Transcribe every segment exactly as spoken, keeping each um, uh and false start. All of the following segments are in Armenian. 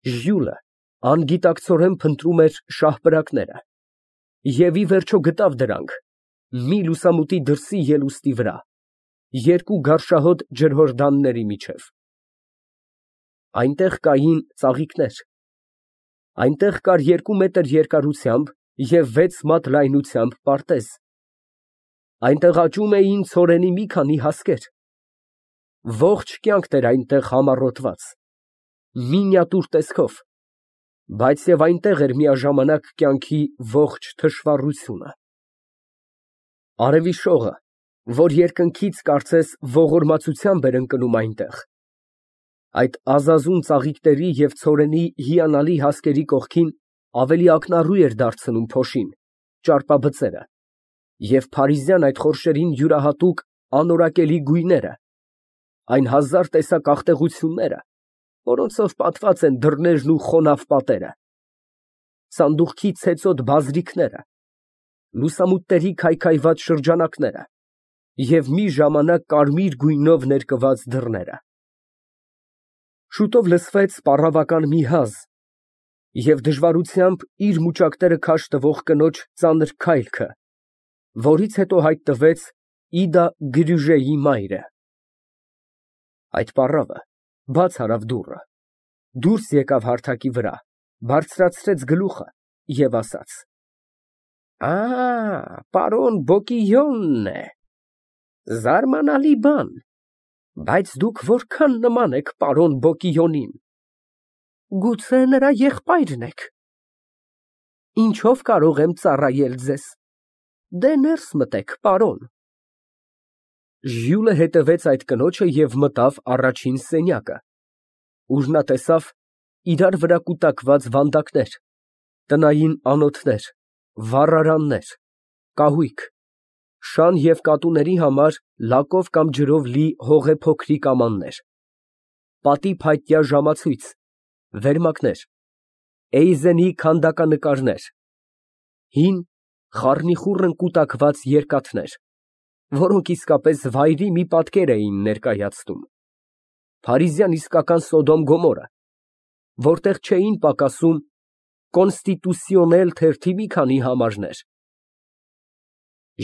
Ժյուլը անգիտակցորեն փնտրում էր շահպրակները և, ի վերջո, գտավ դրանք մի լուսամուտի դրսի ելուստի վրա, երկու գարշահոտ ջրհորդանների միջև։ Այնտեղ կային ծաղիկներ, այնտեղ կար երկու մետր երկարությամբ և վեց մատ լայնությամբ պարտեզ, այնտեղ աճում էին ցորենի մի քանի հասկեր, ողջ կյանքն էր այնտեղ համառոտված, մինիատյուր տեսքով, բայց և այնտեղ էր միաժամանակ կյանքի ողջ թշվառությունը։ Արևի շողը, որ երկնքից կարծես ողորմածությամբ էր ընկնում այնտեղ, այդ ազազուն ծաղիկների և ցորենի հիանալի հասկերի կողքին ավելի ակնառու էր դարձնում փոշին, ճարպաբծերը և փարիզյան այդ խորշերին յուրահատուկ անորակելի գույները, այն հազար տեսակ աղտեղությունները, որոնցով պատված են դռներն ու խոնավ պատերը, սանդուղքի ցեցոտ բազրիքները, լուսամուտների քայքայված շրջանակները և մի ժամանակ կարմիր գույնով ներկված դռները։ Շուտով լսվեց պառավական մի հազ և դժվարությամբ իր մուճակները քաշ տվող կնոջ ծանր քայլքը, որից հետո հայտնվեց Իդա Գրյուժեի մայրը։ Այդ պառավը բաց արավ դուռը, դուրս եկավ հարթակի վրա, բարձրացրեց գլուխը և ասաց. «Ա, պարոն Բոկիյոնն է, զարմանալի բան, բայց դուք որքան նման եք պարոն Բոկիյոնին, գուցե նրա եղբայրն եք։ Ինչո՞վ կարող եմ ծառայել ձեզ, դե ներս մտեք, պարոն»։ Ժյուլը հետևեց այդ կնոջը և մտավ առաջին սենյակը, ուր նա տեսավ իրար վրա կուտակված վանդակներ, տնային անոթներ, վառարաններ, կահույք, շան և կատուների համար լակով կամ ջրով լի հողեփոքրիկ ամաններ, պատի փայտյա ժամացույց, վերմակներ, Էյզենի քանդականկարներ, հին, խառնիխուռն կուտակված երկաթներ, որոնք իսկապես վայրի մի պատկեր էին ներկայացնում, փարիզյան իսկական Սոդոմ Գոմորը, որտեղ չէին պակասում կոնստիտուցիոնել թերթի մի քանի համարներ։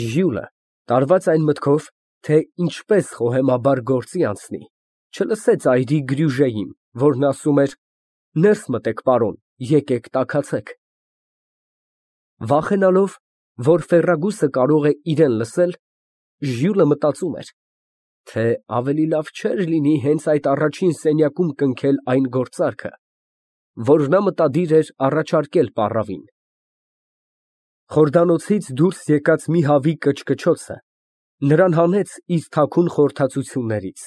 Ժյուլը, տարված այն մտքով, թե ինչպես խոհեմաբար գործի անցնի, չլսեց այրի Գրյուժեին, որն ասում էր. «Ներս մտեք, պարոն, եկեք տաքացեք»։ Վախենալով, որ ֆեռրագուսը կարող է իրան լսել, Ժյուլը մտածում էր, թե ավելի լավ չէր լինի հենց այդ առաջին սենյակում կնքել այն գործարքը, որ նա մտադիր էր առաջարկել պառավին։ Խորդանոցից դուրս եկած մի հավի կչկչոցը նրան հանեց իր թաքուն խորհրդածություններից։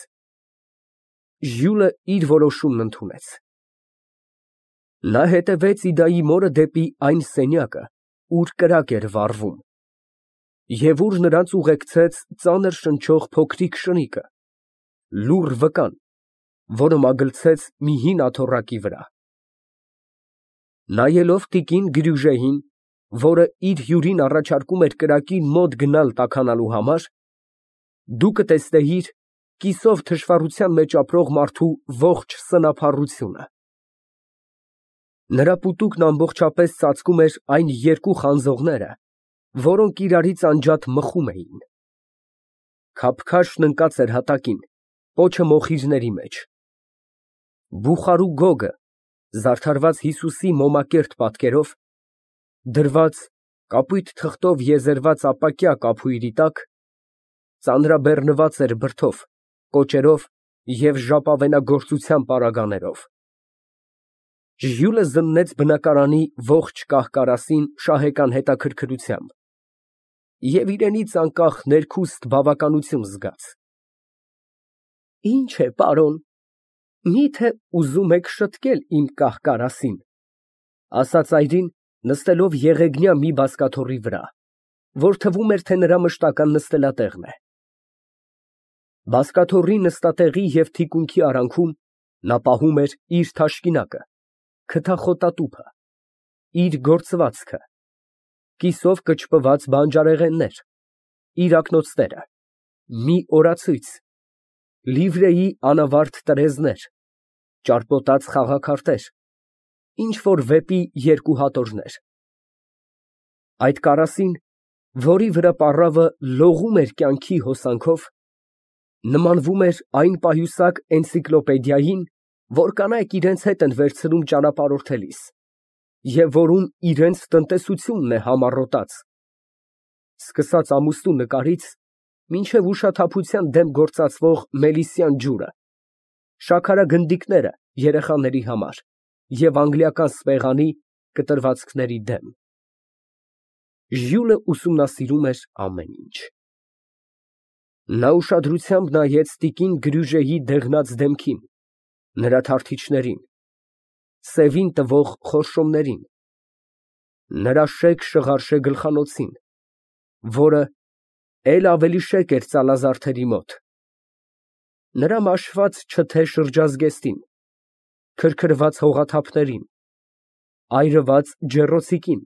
Ժյուլը իր որոշումն ընդունեց։ Նա հետևեց Իդայի մորը դեպի այն սենյակը, ուր կրակ էր վառվում, և ուր նրանց ուղեկցեց ծանր շնչող փոքրիկ շնիկը, լուռ վկան, որը մագլցեց մի հին աթոռակի վրա։ Նայելով տիկին Գրյուժեին, որը իր հյուրին առաջարկում էր կրակին մոտ գնալ տաքանալու համար, դու կտեսնեիր կիսով թշվառության մեջ ապրող մարդու ողջ սնափառությունը։ Նրա պուտուկն ամբողջապես ծածկում էր այն երկու խանձողները, որոնք իրարից անջատ մխում էին։ Քափքաշն ընկած էր հատակին, պոչը մոխիրների մեջ։ Բուխարու գոգը, զարդարված Հիսուսի մոմակերտ պատկերով, դրված կապույտ թղթով եզերված ապակյա կափույրի տակ, ծանրաբեռնված էր բրդով, կոճերով և ժապավենագործության պարագաներով։ Ժյուլը զննեց բնակարանի ողջ կահ֊կարասին շահեկան հետաքրքրությամբ և իրենից անկախ ներքուստ բավականություն զգաց։ Ինչ է, պարոն, մի՞թե ուզում եք շտկել իմ կահ֊կարասին, ասաց այրին, նստելով եղեգնյա մի բազկաթոռի վրա, որ թվում էր, թե նրա մշտական նստելատեղն է։ Բազկաթոռի նստատեղի և թիկունքի արանքում նա պահում էր իր թաշկինակը, քթախոտատուփը, իր գործվածքը, կիսով կչպված բանջարեղեններ, իր ակնոցները, մի օրացույց, լիվրեի անավարտ տրեզներ, ճարպոտած խաղաքարտեր, Ինչ որ վեպի երկու հատորներ։ Այդ կարասին, որի վրա պառավը լողում էր կյանքի հոսանքով, նմանվում էր այն պայուսակ էնցիկլոպեդիային, որ կանայք իրենց հետ են վերցնում ճանապարհորդելիս, և որում իրենց տնտեսությունն է համառոտած, սկսած ամուսնու նկարից մինչև ուշաթափության դեմ գործածվող մելիսյան ջուրը, շաքարագնդիկները երեխաների համար և անգլիական սպեղանի կտրվածքների դեմ։ Ժյուլը ուսումնասիրում էր ամեն ինչ։ Նա ուշադրությամբ նայեց տիկին Գրյուժեի դեղնած դեմքին, նրա թարթիչներին, սևին տվող խորշոմներին, նրա շեկ շղարշե գլխանոցին, որը էլ ավելի շեկ էր ծալազարդերի մոտ, նրա մաշված չթե շրջազգեստին, քրքրված հողաթափներին, այրված ջեռոցիկին,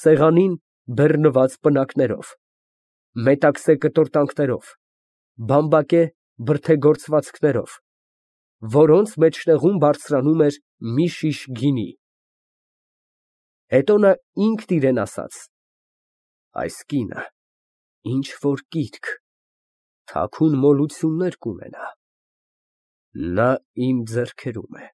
սեղանին բեռնված պնակներով, մետաքսե կտորտանքներով, բամբակե բրդեգործվածքներով, որոնց մեջտեղում բարձրանում էր մի շիշ գինի։ Հետո նա ինքն իրան ասաց. «Այս կինը ինչ որ կիրք, թաքուն մոլություններ կունենա, նա իմ ձեռքերում է»։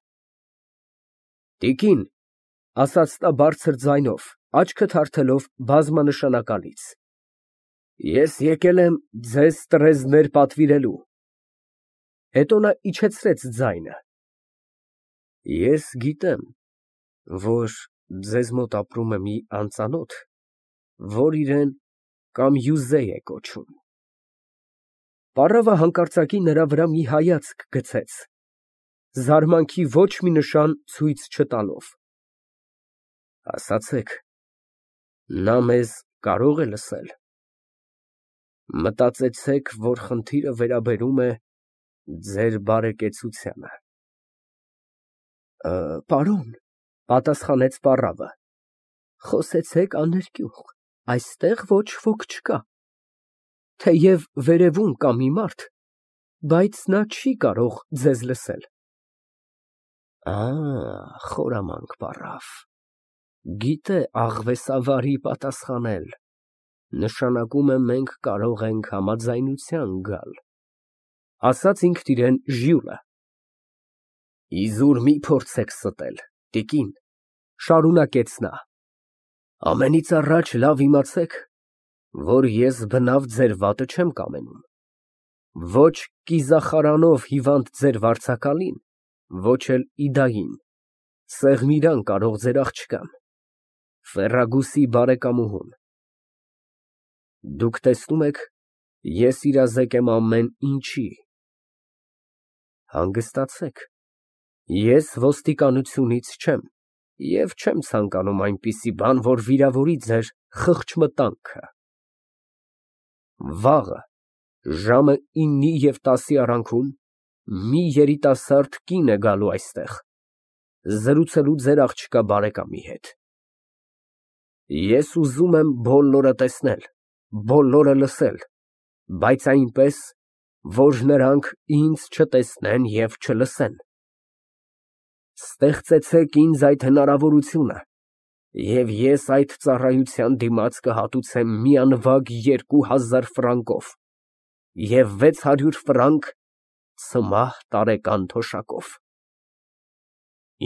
Տիկին, ֊ ասաց նա բարձր ձայնով, աչքը թարթելով բազմանշանակալից, ֊ ես եկել եմ ձեզ տրեզներ պատվիրելու։ Հետո նա իջեցրեց ձայնը. Ես գիտեմ, որ ձեզ մոտ ապրում է մի անծանոթ, որ իրան Կամյուզե է կոչում։ Պառավը հանկարծակի նրա վրա մի հայացք գցեց, զարմանքի ոչ մի նշան ցույց չտալով։ Ասացեք, նա մեզ կարո՞ղ է լսել։ Մտածեցեք, որ խնդիրը վերաբերում է ձեր բարեկեցությանը։ Պարոն, ֊ պատասխանեց պառավը, ֊ խոսեցեք աներկյուղ, այստեղ ոչ ոք չկա, թեև վերևում կա մի մարդ, բայց նա չի կարող ձեզ լսել։ Ա, խորամանկ պառավ, գիտե աղվեսավարի պատասխանել, նշանակում է մենք կարող ենք համաձայնության գալ, ֊ ասաց ինքն իրան Ժյուլը։ Իզուր մի փորձեք ստել, տիկին, ֊ շարունակեց նա, ֊ ամենից առաջ լավ իմացեք, որ ես բնավ ձեր վատը չեմ կամենում, ոչ կիզախարանով հիվանդ ձեր վարձակալին, ոչ էլ իդային, Սեղմիրան կարող ձեր աղջկան, Ֆերրագուսի բարեկամուհուն։ Դուք տեսնում եք, ես իրազեկ եմ ամեն ինչի։ Հանգստացեք, ես ոստիկանությունից չեմ և չեմ ցանկանում այնպիսի բան, որ վիրավորի ձեր խղճմտանքը։ Վաղը, ժամը իննի և տասի արանքում, մի երիտասարդ կին է գալու այստեղ, զրուցելու ձեր աղջկա բարեկամի հետ։ Ես ուզում եմ բոլորը տեսնել, բոլորը լսել, բայց այնպես, որ նրանք ինձ չտեսնեն և չլսեն։ Ստեղծեցեք ինձ այդ հնարավորությունը, և ես այդ ծառայության դիմաց կհատուցեմ մի անվագ երկու հազար ֆրանկով և վեց հարյուր ֆրանկ ցմահ տարեկան թոշակով։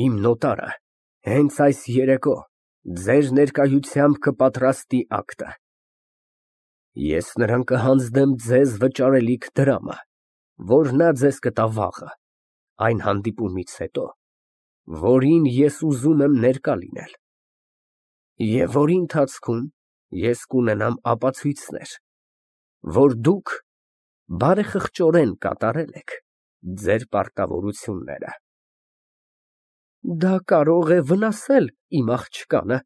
Իմ նոտարը հենց այս երեկո ձեր ներկայությամբ կպատրաստի ակտը։ Ես նրան կհանձնեմ ձեզ վճարելիք դրամը, որ նա ձեզ կտա վաղը, այն հանդիպումից հետո, որին ես ուզում եմ ներկա լինել, և որի ընթացքում ես կունենամ ապացույցներ, որ դուք բարեխղճորեն կատարել եք ձեր պարտավորությունները։ Դա կարող է վնասել իմ աղջկանը,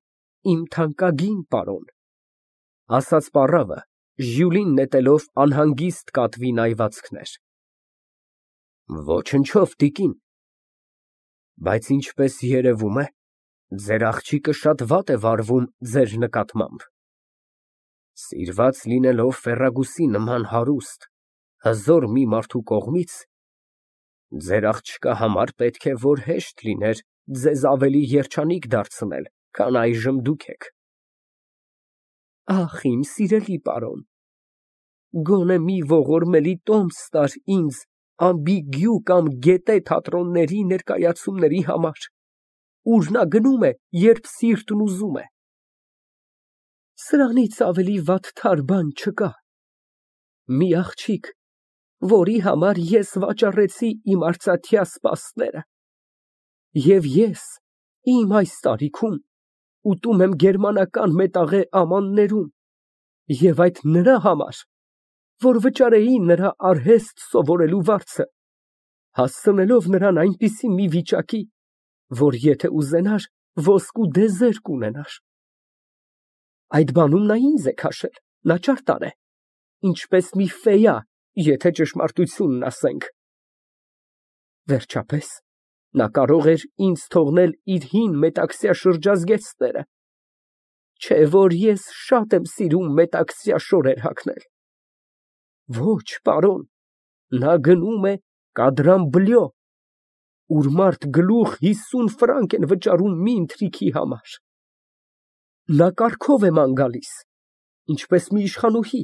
իմ թանկագին պարոն, ֊ ասաց պառավը, Ժյուլին նետելով անհանգիստ կատվի նայվածքներ։ Ոչնչով, տիկին, բայց ինչպես երևում է, ձեր աղջիկը շատ վատ է վարվում ձեր նկատմամբ։ Սիրված լինելով Ֆերրագուսի նման հարուստ, հզոր մի մարդու կողմից, ձեր աղջկա համար պետք է որ հեշտ լիներ ձեզ ավելի երջանիկ դարձնել, քան այժմ դուք եք։ Ախ, իմ սիրելի պարոն, գոնե մի ողորմելի տոմս տար ինձ ամբիգյու կամ գետե թատրոնների ներկայացումների համար, ուր նա գնում է, երբ սիրտն ուզում է։ Սրանից ավելի վատթար բան չկա։ Մի աղջիկ, որի համար ես վաճառեցի իմ արծաթյա սպասները, և ես իմ այս տարիքում ուտում եմ գերմանական մետաղե ամաններում, և այդ նրա համար, որ վճարեի նրա արհեստ սովորելու վարձը, հասցնելով նրան այնպիսի մի վիճակի, որ եթե ուզենար, ոսկու դեզեր կունենար։ Այդ բանում նա ինձ է քաշել, նա ճարտար է, ինչպես մի ֆեյա, եթե ճշմարտությունն ասենք։ Վերջապես, նա կարող էր ինձ թողնել իր հին մետաքսյա շրջազգեստները, չէ՞ որ ես շատ եմ սիրում մետաքսյա շորեր հագնել։ Ոչ, պարոն, նա գնում է Կադրամբլյո, ուր մարդ գլուխ հիսուն ֆրանկ են վճարում մի ընթրիքի համար։ Նա կառքով է ման գալիս, ինչպես մի իշխանուհի,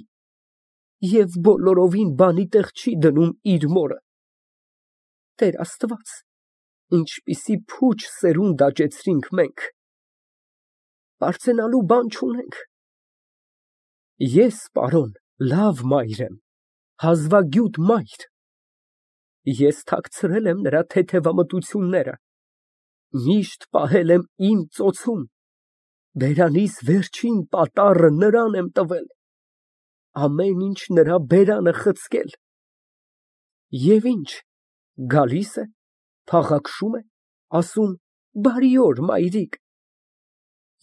և բոլորովին բանի տեղ չի դնում իր մորը։ Տեր Աստված, ինչպիսի փուչ սերունդ աճեցրինք մենք, պարծենալու բան չունենք։ Ես, պարոն, լավ մայր եմ, հազվագյուտ մայր։ Ես թաքցրել եմ նրա թեթևամտությունները, միշտ պահել եմ իմ ծոցում, բերանիս վերջին պատառը նրան եմ տվել, ամեն ինչ նրա բերանը խցկել։ Եվ ինչ, գալիս է, փաղաքշում է, ասում «Բարի օր, մայրիկ»,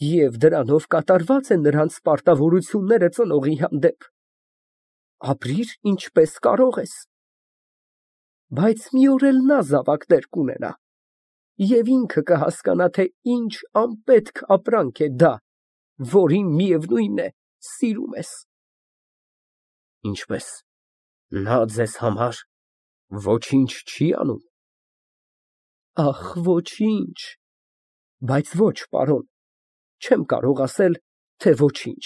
և դրանով կատարված է նրանց պարտավորությունները ծնողի հանդեպ։ Ապրիր ինչպես կարող ես։ Բայց մի օր էլ նա զավակներ կունենա, և ինքը կհասկանա, թե ինչ անպետք ապրանք է դա, որին, միևնույն է, սիրում ես։ Ինչպե՞ս, նա ձեզ համար ոչինչ չի անում։ Ախ, ոչինչ, բայց ոչ, պարոն, չեմ կարող ասել, թե ոչինչ,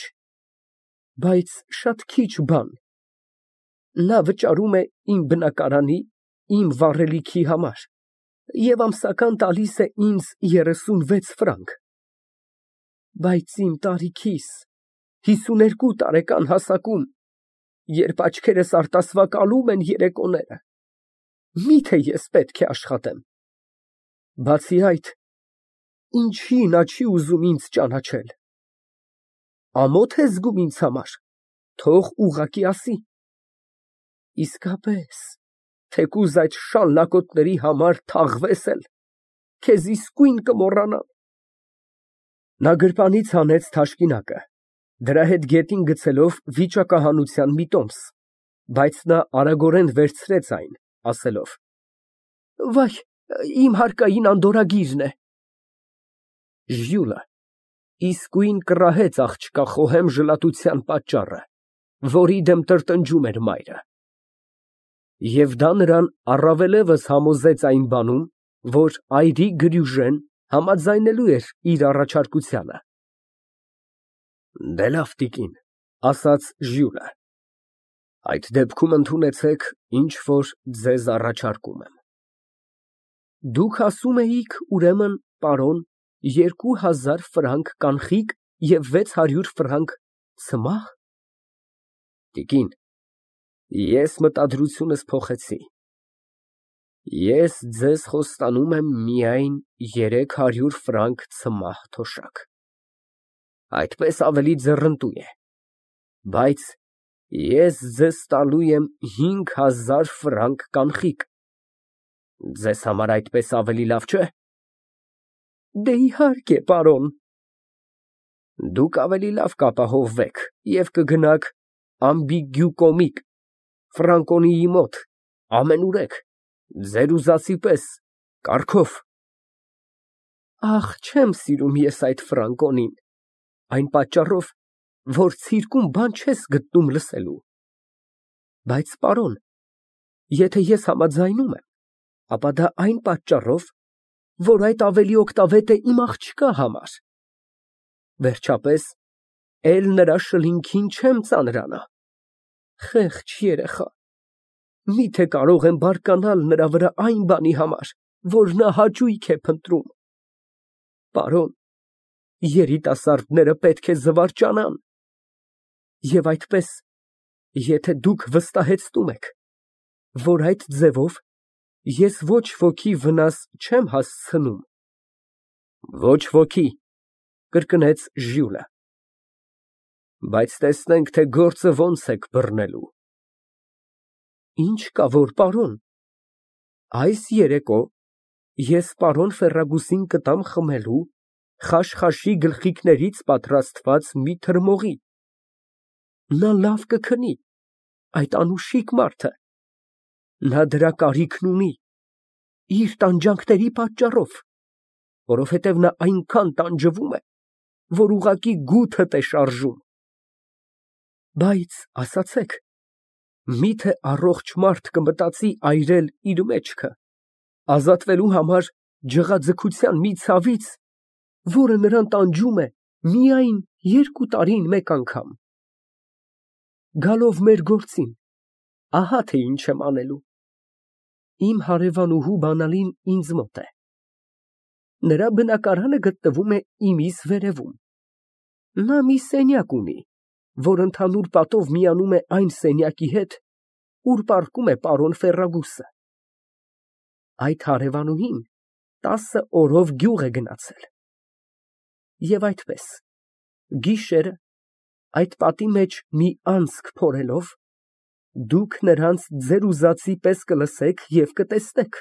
բայց շատ քիչ բան։ Նա վճարում է իմ բնակարանի, իմ վառելիքի համար և ամսական տալիս է ինձ երեսունվեց ֆրանկ։ Բայց իմ տարիքիս, հիսուներկու տարեկան հասակում, երբ աչքերս արտասվակալում են երեկոները, մի՞թե ես պետք է աշխատեմ։ Բացի այդ, ինչի նա չի ուզում ինձ ճանաչել։ Ամո՞թ է զգում ինձ համար, թող ուղղակի ասի։ Իսկապես, թեկուզ այդ շալլակոտների համար թաղվես էլ, քեզ իսկույն կմոռանան։ Նա գրպանից հանեց թաշկինակը, դրա հետ գետին գցելով վիճակահանության մի տոմս, բայց նա արագորեն վերցրեց այն, ասելով. «Վայ, իմ հարկային անդորրագիրն է»։ Ժյուլը իսկույն կռահեց աղջկա խոհեմ ժլատության պատճառը, որի դեմ տրտնջում էր մայրը։ Եվ դա նրան առավելևս համոզեց այն բանում, որ այրի Գրյուժեն համաձայնելու էր իր առաջարկությանը։ Դե լավ, տիկին, ասաց Ժյուլը, այդ դեպքում ընդունեցեք, ինչ որ ձեզ առաջարկում եմ։ Դուք ասում էիք, ուրեմն, պարոն, երկու հազար ֆրանկ կանխիկ և վեց հարյուր ֆրանկ ցմահ։ Տիկին, ես մտադրությունս փոխեցի։ Ես ձեզ խոստանում եմ միայն երեք հարյուր ֆրանկ ցմահ թոշակ։ Այդպես ավելի ձեռնտու է, բայց ես ձեզ տալու եմ հինգ հազար ֆրանկ կանխիկ։ Ձեզ համար այդպես ավելի լավ չէ՞։ Դե իհարկե, պարոն։ Դուք ավելի լավ կապահովվեք և կգնաք ամբիգյուկոմիկ, Ֆրանկոնիի մոտ, ամենուրեք, ձեր ուզածի պես, կառքով։ Ախ, չեմ սիրում ես այդ Ֆրանկոնին, այն պատճառով, որ ցիրկում բան չես գտնում լսելու։ Բայց, պարոն, եթե ես համաձայնում եմ, ապա դա այն պատճառով, որ այդ ավելի օգտավետ է իմ աղջկա համար։ Վերջապես, էլ նրա շլինքին չեմ ծանրանա։ Խեղճ երեխա, միթե կարող եմ բարկանալ նրա վրա այն բանի համար, որ նա հաճույք է փնտրում։ Պարոն, երիտասարդները պետք է զվարճանան։ Եվ այդպես, եթե դուք վստահեցնում եք, որ այդ ձևով ես ոչ ոքի վնաս չեմ հասցնում։ Ոչ ոքի, կրկնեց Ժյուլը։ Բայց տեսնենք, թե գործը ոնց եք բռնելու։ Ինչ կա որ, պարոն, այս երեկո ես պարոն Ֆերրագուսին կտամ խմելու խաշխաշի գլխիկներից պատրաստված մի թրմողի։ Նա լավ կքնի, այդ անուշիկ մարդը։ Նա դրա կարիքն ունի, իր տանջանքների պատճառով, որովհետև նա այնքան տանջվում է, որ ուղղակի գութդ է շարժում։ Բայց ասացեք, միթե առողջ մարդ կմտածի այրել իր մեջքը, ազատվելու համար ջղաձգության մի ցավից, որը նրան տանջում է միայն երկու տարին մեկ անգամ։ Գալով մեր գործին, ահա թե ինչ եմ անելու։ Իմ հարևանուհու բանալին ինձ մոտ է։ Նրա բնակարանը գտնվում է իմիս վերևում։ Նա մի սենյակ ունի, որ ընդհանուր պատով միանում է այն սենյակի հետ, ուր պառկում է պարոն Ֆերրագուսը։ Այդ հարևանուհին տասը օրով գյուղ է գնացել։ Եվ այդպես, գիշերը, այդ պատի մեջ մի անցք փորելով, դուք նրանց ձեր ուզածի պես կլսեք և կտեսնեք։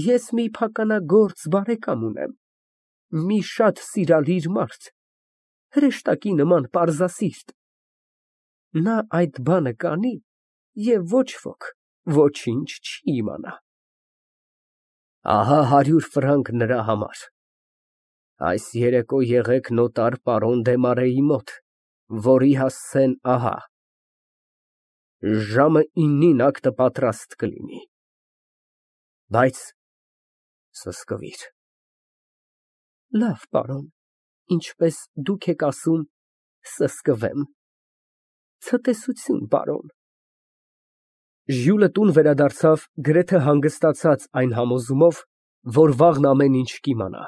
Ես մի փականագործ բարեկամ ունեմ, մի շատ սիրալիր մարդ, հրեշտակի նման պարզասիրտ։ Նա այդ բանը կանի և ոչ ոք ոչինչ չի իմանա։ Ահա հարյուր ֆրանկ նրա համար։ Այս երեկո եղեք նոտար պարոն Դեմարեի մոտ, որի հասցեն ահա։ Ժամը իննին ակտը պատրաստ կլինի։ Բայց սսկվիր։ Լավ, պարոն, ինչպես դուք եք ասում, սսկվեմ։ Ցտեսություն, պարոն։ Ժյուլը տուն վերադարձավ գրեթե հանգստացած այն համոզումով, որ վաղն ամեն ինչ կիմանա։